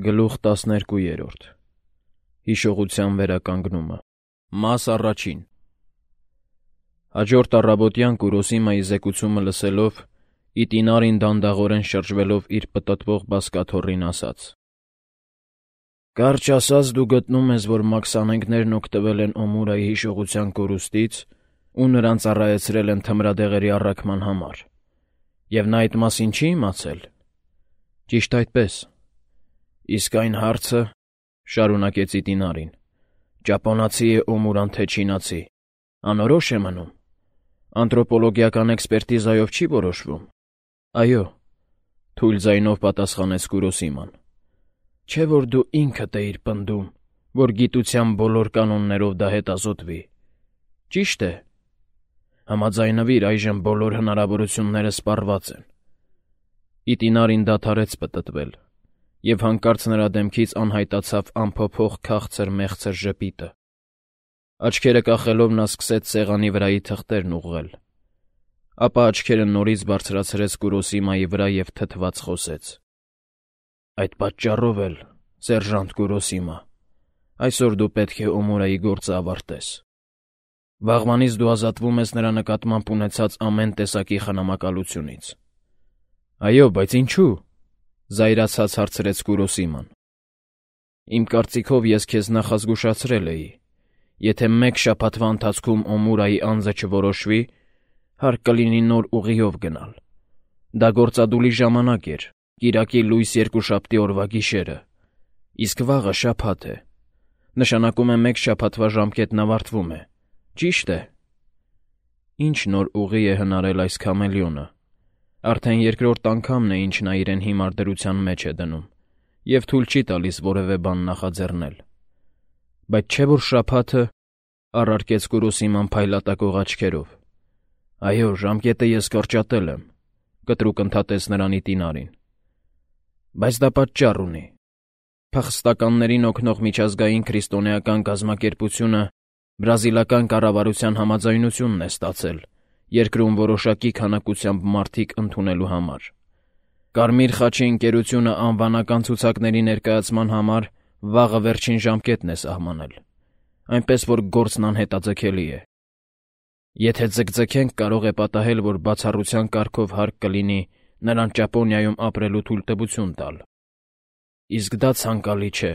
Գլուխ 12 Հիշողության վերականգնումը Մաս առաջին Հաջորդ առավոտյան Կուրոսիմայի զեկուցումը լսելով, Իտինարին դանդաղորեն շրջվելով իր պտտվող բազկաթոռին ասաց. «Կարճ ասած, դու գտնում ես, որ մաքսանենգներն օգտվել են Օմուրայի հիշողության կորուստից ու նրան ծառայեցրել են թմրադեղերի առաքման համար, և նա այդ մասին չի իմացել»։ Ճիշտ այդպես։ Իսկ այն հարցը, շարունակեց Իտինարին, ճապոնացի է Օմուրան թե չինացի, անորոշ է մնում, անթրոպոլոգիական էքսպերտիզայով չի որոշվում։ Այո, թույլ ձայնով պատասխանեց Կուրոսիման, չէ՞ որ դու ինքդ էիր պնդում, որ գիտության բոլոր կանոններով դա հետազոտվի։ Ճիշտ է։ Համաձայնվիր, այժմ բոլոր հնարավորությունները սպառված են։ Իտինարին դադարեց պտտվել, և հանկարծ նրա դեմքից անհայտացավ անփոփոխ քաղցր մեղցր ժպիտը։ Աչքերը կախելով նա սկսեց սեղանի վրայի թղթերն ուղղել, ապա աչքերը նորից բարձրացրեց Կուրոսիմայի վրա և թթված խոսեց. «Այդ պատճառով էլ, սերժանտ Կուրոսիմա, այսօր դու պետք է Օմուրայի գործը ավարտես։ Վաղվանից դու ազատվում ես նրա նկատմամբ ունեցած ամեն տեսակի խնամակալությունից»։ Այո, բայց ինչու՞։ Զայրացած հարցրեց Կուրոսիման։ Իմ կարծիքով ես քեզ նախազգուշացրել էի. եթե մեկ շաբաթվա ընթացքում Օմուրայի անձը չորոշվի, հարկ կլինի նոր ուղիով գնալ։ Դա գործադուլի ժամանակ էր, կիրակի լույս երկուշաբթի օրվա գիշերը, իսկ վաղը շաբաթ է։ Նշանակում է մեկ շաբաթվա ժամկետն ավարտվում է, ճիշտ է։ Ինչ նոր ուղի է հնարել այս քամելիոնը։ Արդեն երկրորդ անգամն է, ինչ նա իրեն հիմար դրության մեջ է դնում, և թույլ չի տալիս որևէ բան նախաձեռնել։ Բայց չէ՞ որ շաբաթը, առարկեց Կուրոսիման փայլատակող աչքերով։ Այո, ժամկետը ես կրճատել եմ, կտրուկ ընդհատեց նրան Իտինարին։ Բայց դա պատճառ ունի։ Փախստականներին օգնող միջազգային քրիստոնեական կազմակերպությունը բրազիլական կառավարության համաձայնությունն է ստացել երկրում որոշակի քանակությամբ մարդիկ ընդունելու համար։ Կարմիր խաչի ընկերությունը անվանական ցուցակների ներկայացման համար վաղը վերջին ժամկետն է սահմանել, այնպես որ գործն անհետաձգելի է։ Եթե ձգձգենք, կարող է պատահել, որ բացառության կարգով հարկ կլինի նրան Ճապոնիայում ապրելու թույլտվություն տալ։ Իսկ դա ցանկալի չէ։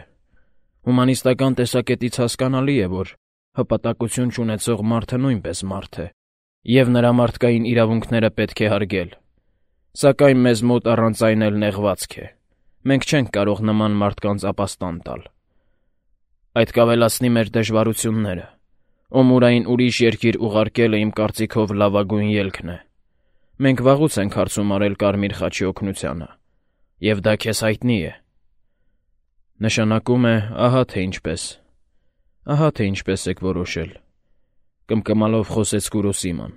Հումանիստական տեսակետից հասկանալի է, որ հպատակություն չունեցող մարդը նույնպես մարդ է, և նրա մարդկային իրավունքները պետք է հարգել։ Սակայն մեզ մոտ առանց այն էլ նեղվածք է։ Մենք չենք կարող նման մարդկանց ապաստան տալ։ Այդ կավելացնի մեր դժվարությունները։ Օմուրային ուրիշ երկիր ուղարկելը իմ կարծիքով լավագույն ելքն է։ Մենք վաղուց ենք հարցում արել Կարմիր խաչի օգնությանը, և դա քեզ հայտնի է։ Նշանակում է, ահա թե ինչպես եք որոշել, կմկմալով խոսեց Կուրոսիման։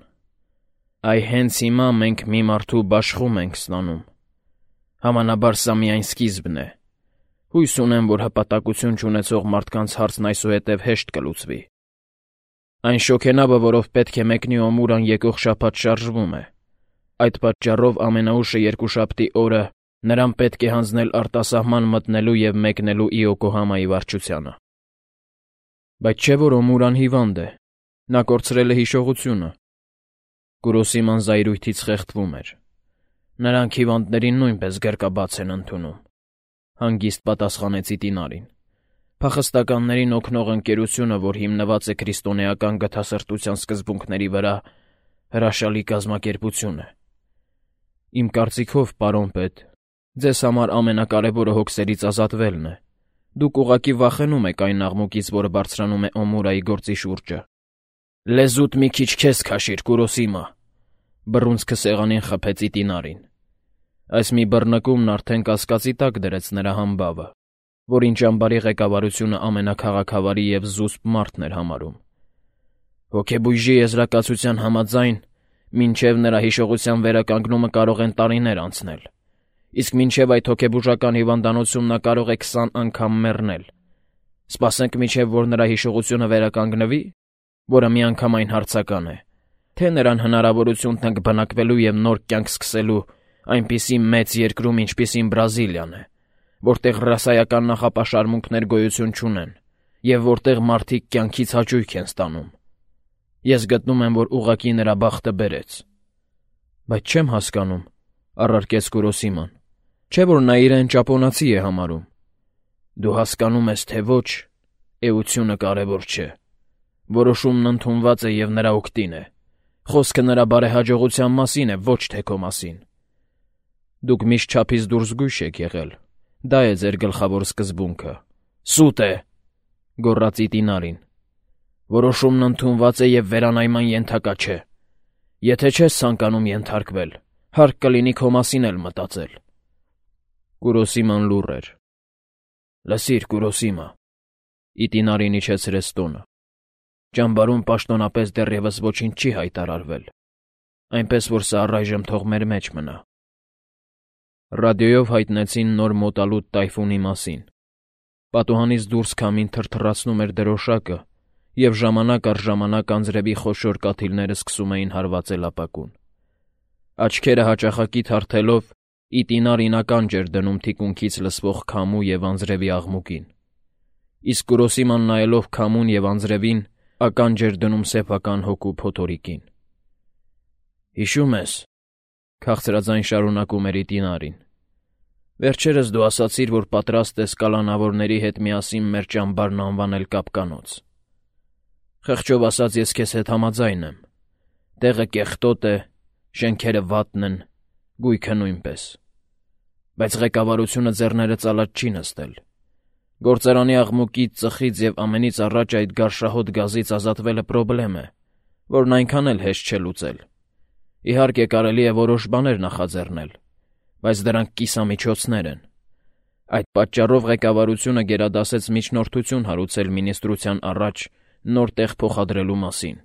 Այ հենց հիմա մենք մի մարդու բաշխում ենք ստանում։ Համանաբար սա միայն սկիզբն է։ Հույս ունեմ, որ հպատակություն չունեցող մարդկանց հարցն այսուհետև հեշտ կլուծվի։ Այն շոգենավը, որով պետք է մեկնի Օմուրան եկող շաբաթ շարժվում է։ Այդ պատճառով ամենաուշը երկուշաբթի օրը նրան պետք է հանձնել արտասահման մտնելու և մեկնելու Իոկոհամայի վարչությանը։ Բայց չէ՞ որ Օմուրան հիվանդ է, նա կորցրել է հիշողությունը։ Կուրոսիման զայրույթից խեղդվում էր։ Նրանք հիվանդներին նույնպես գրկաբաց են ընդունում, հանգիստ պատասխանեց Իտինարին։ Փախստականներին օգնող ընկերությունը, որ հիմնված է քրիստոնեական գթասրտության սկզբունքների վրա, հրաշալի կազմակերպություն է։ Իմ կարծիքով, պարոն պետ, ձեզ համար ամենակարևորը հոգսերից ազատվելն է։ Դուք ուղղակի վախենում եք այն աղմուկից, որը բարձրանում է Օմուրայի գործի շուրջը։ Լեզուդ մի քիչ քեզ քաշիր, Կուրոսիմա, բռունցքը սեղանին խփեց Իտինարին։ Այս մի բռնկումն արդեն կասկածի տակ դրեց նրա համբավը, որին ճամբարի ղեկավարությունը ամենաքաղաքավարի և զուսպ մարդն էր համարում։ Հոգեբույժի եզրակացության համաձայն, մինչև նրա հիշողության վերականգնումը կարող են տարիներ անցնել, իսկ մինչև այդ հոգեբուժական հիվանդանոցում նա կարող է 20 անգամ մեռնել։ Սպասենք մինչև որ նրա հիշողությունը վերականգնվի, որը միանգամայն հարցական է, թե նրան հնարավորություն տանք բնակվելու և նոր կյանք սկսելու այնպիսի մեծ երկրում, ինչպիսին Բրազիլիան է, որտեղ ռասայական նախապաշարմունքներ գոյություն չունեն և որտեղ մարդիկ կյանքից հաճույք են ստանում։ Ես գտնում եմ, որ ուղղակի նրա բախտը բերեց։ Բայց չեմ հասկանում, առարկեց Կուրոսիման, չէ՞ որ նա իրեն ճապոնացի է համարում։ Դու հասկանում ես, թե ոչ, էությունը կարևոր չէ։ Որոշումն ընդունված է և նրա օգտին է։ Խոսքը նրա բարեհաջողության մասին է, ոչ թե քո մասին։ Դուք միշտ չափից դուրս զգույշ եք եղել։ Դա է ձեր գլխավոր սկզբունքը։ Սուտ է, գոռաց Իտինարին։ Որոշումն ընդունված է և վերանայման ենթակա չէ։ Եթե չես ցանկանում ենթարկվել, հարկ կլինի քո մասին էլ մտածել։ Կուրոսիման լուռ էր։ Լսիր, Կուրոսիմա, Իտինարին իջեցրեց տոնը։ Ճամբարում պաշտոնապես դեռևս ոչինչ չի հայտարարվել, այնպես որ սա առայժմ թող մեր մեջ մնա։ Ռադիոյով հայտնեցին նոր մոտալուտ տայֆունի մասին։ Պատուհանից դուրս քամին թրթռացնում էր դրոշակը, և ժամանակ առ ժամանակ անձրևի խոշոր կաթիլները սկսում էին հարվածել ապակուն։ Աչքերը հաճախակի թարթելով, Իտինարին ականջ էր դնում թիկունքից լսվող քամու և անձրևի աղմուկին։ Իսկ Կուրոսիման նայելով քամուն և անձրևին, ականջ էր դնում սեփական հոգու փոթորիկին։ Հիշում ես, քաղցրաձայն շարունակում էր Իտինարին, վերջերս դու ասացիր, որ պատրաստ ես կալանավորների հետ միասին մեր ճամբարն անվանել կապկանոց։ Խղճով ասած, ես քեզ հետ համաձայն եմ։ Տեղը կեղտոտ է, շենքերը վատն են, գույքը նույնպես։ Բայց ղեկավարությունը ձեռները ծալած չի նստել։ Գործարանի աղմուկից, ծխից և ամենից առաջ այդ գարշահոտ գազից ազատվելը պրոբլեմ է, որն այնքան էլ հեշտ չէ լուծել։ Իհարկե կարելի է որոշ բաներ նախաձեռնել, բայց դրանք կիսամիջոցներ են։ Այդ պատճառով ղեկավարությունը գերադասեց միջնորդություն հարուցել մինիստրության առաջ նոր տեղ փոխադրելու մասին։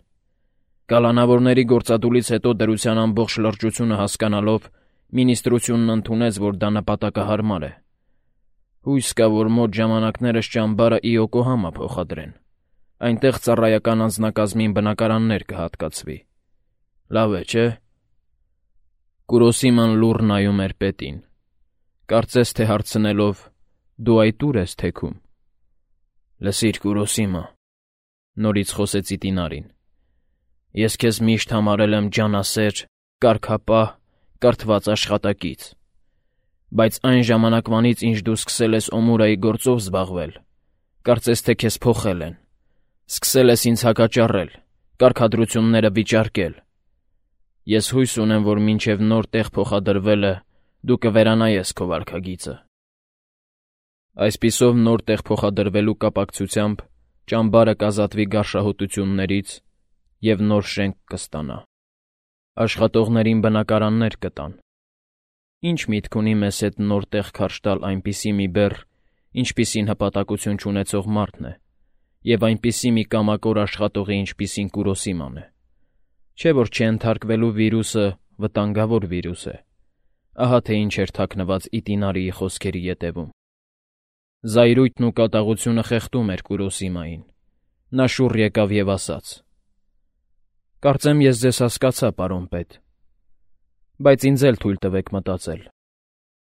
Կալանավորների գործադուլից հետո դրության ամբողջ լրջությունը հասկանալով, մինիստրությունն ընդունեց, որ դա նպատակահարմար է։ Հույս կա, որ մոտ ժամանակներս ճամբարը Իոկոհամա փոխադրեն։ Այնտեղ ծառայական անձնակազմին բնակարաններ կհատկացվի։ Լավ է, չէ՞։ Կուրոսիման լուռ նայում էր պետին։ Կարծես թե հարցնելով. «Դու այդ ուր ես թեքում»։ Լսիր, Կուրոսիմա, նորից խոսեց Իտինարին։ Ես քեզ միշտ համարել եմ ջանասեր, կարգապահ, կրթված աշխատակից։ Բայց այն ժամանակվանից, ինչ դու սկսել ես Օմուրայի գործով զբաղվել, կարծես թե քեզ փոխել են։ Սկսել ես ինձ հակաճառել, կարգադրությունները վիճարկել։ Ես հույս ունեմ, որ մինչև նոր տեղ փոխադրվելը դու կվերանայես քո վարքագիծը։ Այսպիսով նոր տեղ փոխադրվելու կապակցությամբ ճամբարը կազատվի գարշահոտություններից և նոր շենք կստանա։ Աշխատողներին բնակարաններ կտան։ Ինչ միտք ունի մեզ հետ նոր տեղ քարշ տալ այնպիսի մի բեռ, ինչպիսին հպատակություն չունեցող մարդն է, և այնպիսի մի կամակոր աշխատողի, ինչպիսին Կուրոսիման է։ Չէ՞ որ չենթարկվելու վիրուսը վտանգավոր վիրուս է։ Ահա թե ինչ էր թաքնված Իտինարիի խոսքերի ետևում։ Զայրույթն ու կատաղությունը խեղդում էր Կուրոսիմային։ Նա շուռ եկավ և ասաց. «Կարծեմ ես ձեզ հասկացա, պարոն պետ, բայց ինձ էլ թույլ տվեք մտածել»։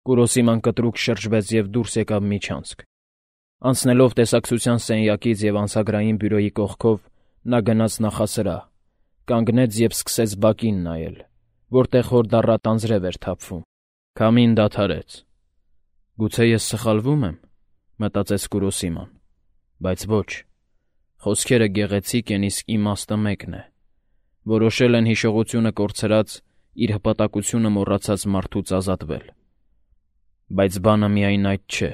Կուրոսիման կտրուկ շրջվեց և դուրս եկավ միջանցք։ Անցնելով տեսակցության սենյակից և անցագրային բյուրոյի կողքով, նա գնաց նախասրահ, կանգնեց և սկսեց բակին նայել, որտեղ հորդառատ անձրև էր թափվում։ Քամին դադարեց։ «Գուցե ես սխալվում եմ», մտածեց Կուրոսիման, բայց ոչ։ Խոսքերը գեղեցիկ են, իսկ իմաստը մեկն է։ Որոշել են հիշողությունը կորցրած, իր հպատակությունը մոռացած մարդուց ազատվել։ Բայց բանը միայն այդ չէ։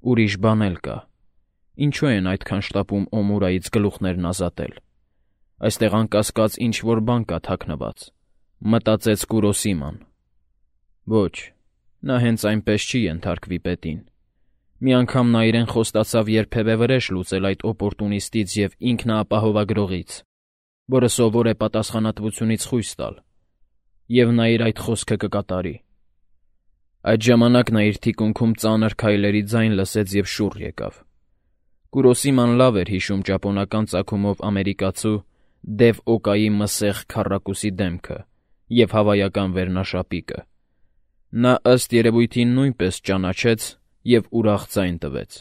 Ուրիշ բան էլ կա։ Ինչու են այդքան շտապում Օմուրայից գլուխներն ազատել։ Այստեղ անկասկած ինչ-որ բան կա թաքնված, մտածեց Կուրոսիման։ Ոչ, նա հենց այնպես չի ենթարկվի պետին։ Մի անգամ նա իրեն խոստացավ երբևէ վրեժ լուծել այդ օպորտունիստից և ինքնաապահովագրողից, որը սովոր է պատասխանատվությունից խույս տալ, և նա իր այդ խոսքը կկատարի։ Այդ ժամանակ նա իր թիկունքում ծանր քայլերի ձայն լսեց և շուռ եկավ։ Կուրոսիման լավ էր հիշում ճապոնական ծագումով ամերիկացու Դև Օկայի մսեղ քառակուսի դեմքը և հավայական վերնաշապիկը։ Նա ըստ երևույթին նույնպես ճանաչեց և ուրախ ձայն տվեց.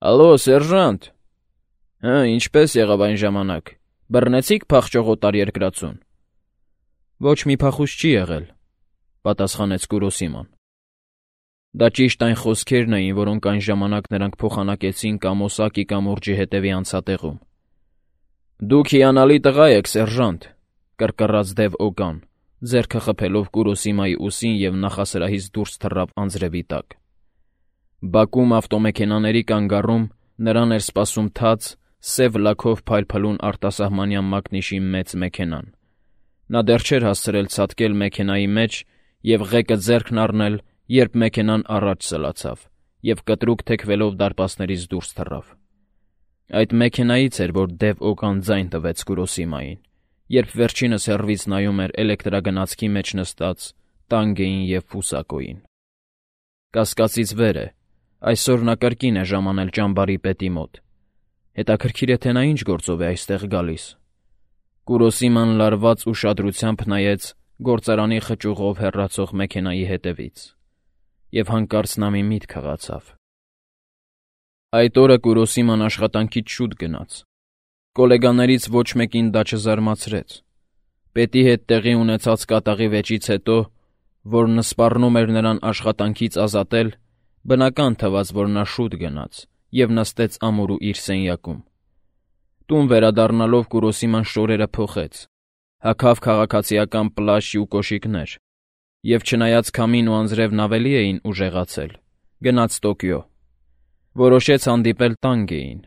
«Ալո, սերժանտ»։ Ինչպե՞ս եղավ այն ժամանակ, բռնեցի՞ք փախչող օտարերկրացուն։ Ոչ մի փախուստ չի եղել, պատասխանեց Կուրոսիման։ Դա ճիշտ այն խոսքերն էին, որոնք այն ժամանակ նրանք փոխանակեցին Կամոսակի կամուրջի հետևի անցատեղում։ Դուք հիանալի տղա եք, սերժանտ, կռկռաց Դեվ Օգան, ձեռքը խփելով Կուրոսիմայի ուսին և նախասրահից դուրս թռավ անձրևի տակ։ Բակում ավտոմեքենաների կանգառում նրան էր սպասում թաց, սև լաքով փայլփլուն արտասահմանյան մակնիշի մեծ մեքենան։ Նա դեռ չէր հասցրել ցատկել մեքենայի մեջ և ղեկը ձեռքն առնել, երբ մեքենան առաջ սլացավ և կտրուկ թեքվելով դարպասներից դուրս թռավ։ Այդ մեքենայից էր, որ Դեվ Օգան ձայն տվեց Կուրոսիմային, երբ վերջինս հեռվից նայում էր էլեկտրագնացքի մեջ նստած Տանգեին և Ֆուսակոյին։ Կասկածից վեր է, այսօր նա կրկին է ժամանել ճամբարի պետի մոտ։ Հետաքրքիր է, թե նա ինչ գործով է այստեղ գալիս։ Կուրոսիման լարված ուշադրությամբ նայեց գործարանի խճուղով հեռացող մեքենայի հետևից, և հանկարծ նա մի միտք հղացավ։ Այդ օրը Կուրոսիման աշխատանքից շուտ գնաց։ Կոլեգաներից ոչ մեկին դա չզարմացրեց։ Պետի հետ տեղի ունեցած կատաղի վեճից հետո, որն սպառնում էր նրան աշխատանքից ազատել, բնական թվաց, որ նա շուտ գնաց և նստեց ամուրու իր սենյակում։ Տուն վերադառնալով Կուրոսիման շորերը փոխեց, հագավ քաղաքացիական պլաշ ու կոշիկներ, և չնայած քամին ու անձրևն ավելի էին ուժեղացել, գնաց Տոկիո։ Որոշեց հանդիպել Տանգեին։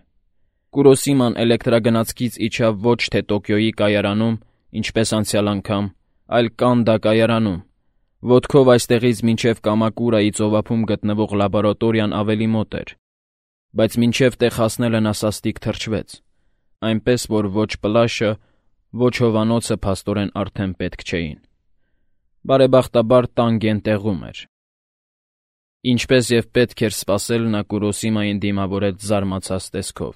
Կուրոսիման էլեկտրագնացքից իջավ ոչ թե Տոկիոյի կայարանում, ինչպես անցյալ անգամ, այլ Կանդա կայարանում։ Ոտքով այստեղից մինչև Կամակուրայի ծովափում գտնվող լաբորատորիան ավելի մոտ էր, բայց մինչև տեղ հասնելը նա սաստիկ թրջվեց, այնպես որ ոչ պլաշը, ոչ հովանոցը փաստորեն արդեն պետք չէին։ Բարեբախտաբար Տանգեն տեղում էր։ Ինչպես և պետք էր սպասել, նա Կուրոսիմային դիմավորեց զարմացած տեսքով։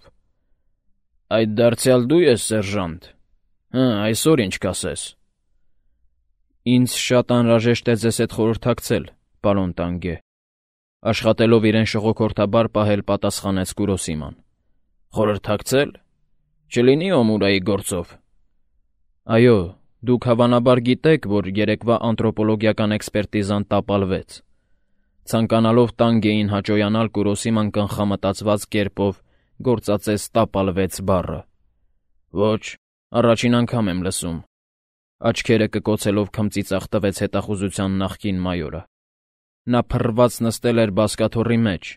Այդ դարձյալ դու ես, սերժանտ։ Այսօր ինչ կասես։ Ինձ շատ անհրաժեշտ է ձեզ հետ խորհրդակցել, պարոն Տանգե, աշխատելով իրեն շողոքորթաբար պահել, պատասխանեց Կուրոսիման։ Խորհրդակցել։ Չլինի Օմուրայի գործով։ Այո, դուք հավանաբար գիտեք, որ երեկվա անթրոպոլոգիական էքսպերտիզան տապալվեց։ Ցանկանալով Տանգեին հաճոյանալ, Կուրոսիման կանխամտածված կերպով գործածեց տապալվեց բառը։ Ոչ, առաջին անգամ եմ լսում։ Աչքերը կկոցելով քմծիծաղ տվեց հետախուզության նախկին մայորը։ Նա փռված նստել էր բազկաթոռի մեջ,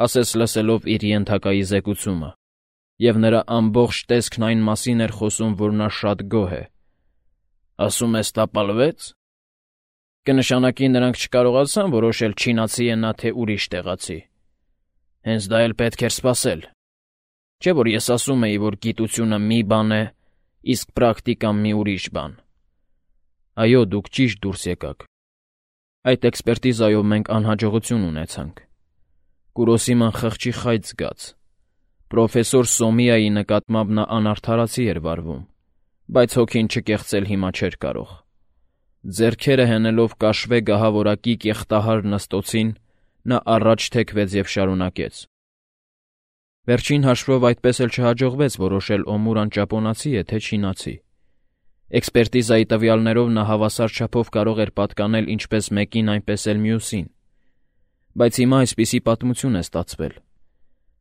ասես լսելով իր ենթակայի զեկուցումը, և նրա ամբողջ տեսքն այն մասին էր խոսում, որ նա շատ գոհ է։ Ասում ես տապալվեց։ Կնշանակի նրանք չկարողացան որոշել չինացի է նա, թե ուրիշ տեղացի։ Հենց դա էլ պետք էր սպասել։ Չէ՞ որ ես ասում էի, որ գիտությունը մի բան է, իսկ պրակտիկան մի ուրիշ բան։ Այո, դուք ճիշտ դուրս եկաք։ Այդ էքսպերտիզայով մենք անհաջողություն ունեցանք։ Կուրոսիման խղճի խայծ զգաց։ Պրոֆեսոր Սոմիայի նկատմամբ նա անարդարացի էր վարվում, բայց հոգին չկեղծել հիմա չէր կարող։ Ձեռքերը հենելով կաշվե գահավորակի կեղտահար նստոցին, նա առաջ թեքվեց և շարունակեց. Վերջին հաշվով այդպես էլ չհաջողվեց որոշել Օմուրան ճապոնացի է, թե չինացի։ Էքսպերտիզայի տվյալներով նա հավասար չափով կարող էր պատկանել ինչպես մեկին, այնպես էլ մյուսին։ Բայց հիմա այսպիսի պատմություն է ստացվել։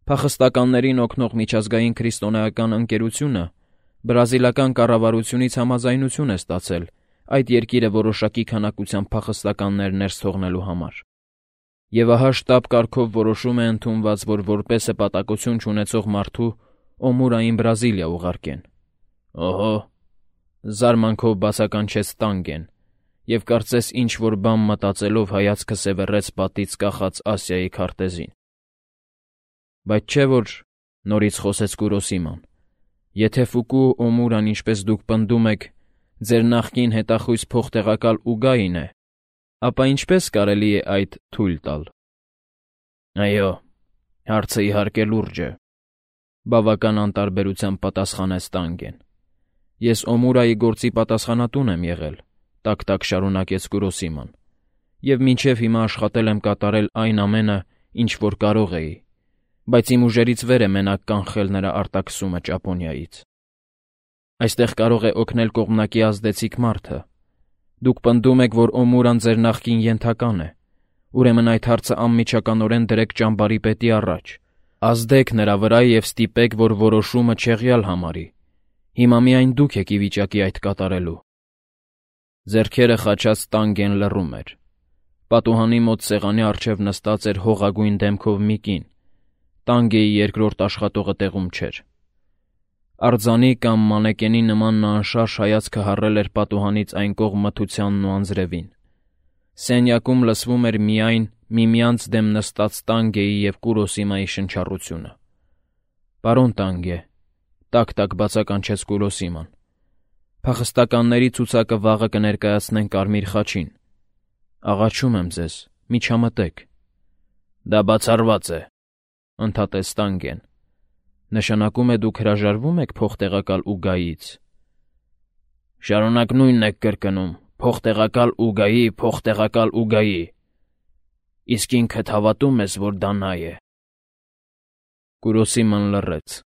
Փախստականներին օգնող միջազգային քրիստոնեական ընկերությունը բրազիլական կառավարությունից համաձայնություն է ստացել այդ երկիրը որոշակի քանակությամբ փախստականներ ներս թողնելու համար։ Եվ ահա շտաբ կարգով որոշում է ընդունված, որ որպես հպատակություն չունեցող մարդու Օմուրային Բրազիլիա ուղարկեն։ Օհո, զարմանքով բացականչեց Տանգեն, և կարծես ինչ-որ բան մտածելով հայացքը սևեռեց պատից կախած Ասիայի քարտեզին։ Բայց չէ՞ որ, նորից խոսեց Կուրոսիման, եթե Ֆուկուո Օմուրան, ինչպես դուք պնդում եք, ձեր նախկին հետախույզ փոխտեղակալ Ուգային է, ապա ինչպես կարելի է այդ թույլ տալ։ Այո, հարցը իհարկե լուրջ է, բավական անտարբերությամբ պատասխանեց Տանգեն։ Ես Օմուրայի գործի պատասխանատուն եմ եղել, տակ-տակ շարունակեց Կուրոսիման, և մինչև հիմա աշխատել եմ կատարել այն ամենը, ինչ որ կարող էի, բայց իմ ուժերից վեր է մենակ կանխել նրա արտաքսումը Ճապոնիայից։ Այստեղ կարող է օգնել կողմնակի ազդեցիկ մարդը։ Դուք պնդում եք, որ Օմուրան ձեր նախկին ենթական է, ուրեմն այդ հարցը անմիջականորեն դրեք ճամբարի պետի առաջ, ազդեք նրա վրա և ստիպեք, որ որոշումը չեղյալ համարի։ Հիմա միայն դուք եք ի վիճակի այդ կատարելու։ Ձեռքերը խաչած Տանգեն լռում էր։ Պատուհանի մոտ սեղանի առջև նստած էր հողագույն դեմքով մի կին։ Տանգեի երկրորդ աշխատողը տեղում չէր։ Արձանի կամ մանեկենի նման նա անշարժ հայացքը հառել էր պատուհանից այն կողմ մթությանն ու անձրևին։ Սենյակում լսվում էր միայն միմյանց դեմ նստած Տանգեի և Կուրոսիմայի շնչառությունը։ «Պարոն Տանգե», տակ-տակ բացականչեց Կուրոսիման, «փախստականների ցուցակը վաղը կներկայացնեն Կարմիր խաչին։ Աղաչում եմ ձեզ, մի չամտեք»։ «Դա բացառված է», ընդհատեց Տանգեն։ «Նշանակում է դուք հրաժարվում եք փոխտեղակալ Ուգայից»։ «Շարունակ նույնն եք կրկնում. փոխտեղակալ Ուգայի, փոխտեղակալ Ուգայի։ Իսկ ինքդ հավատո՞ւմ ես, որ դա նա է»։ Կուրոսիման լռեց։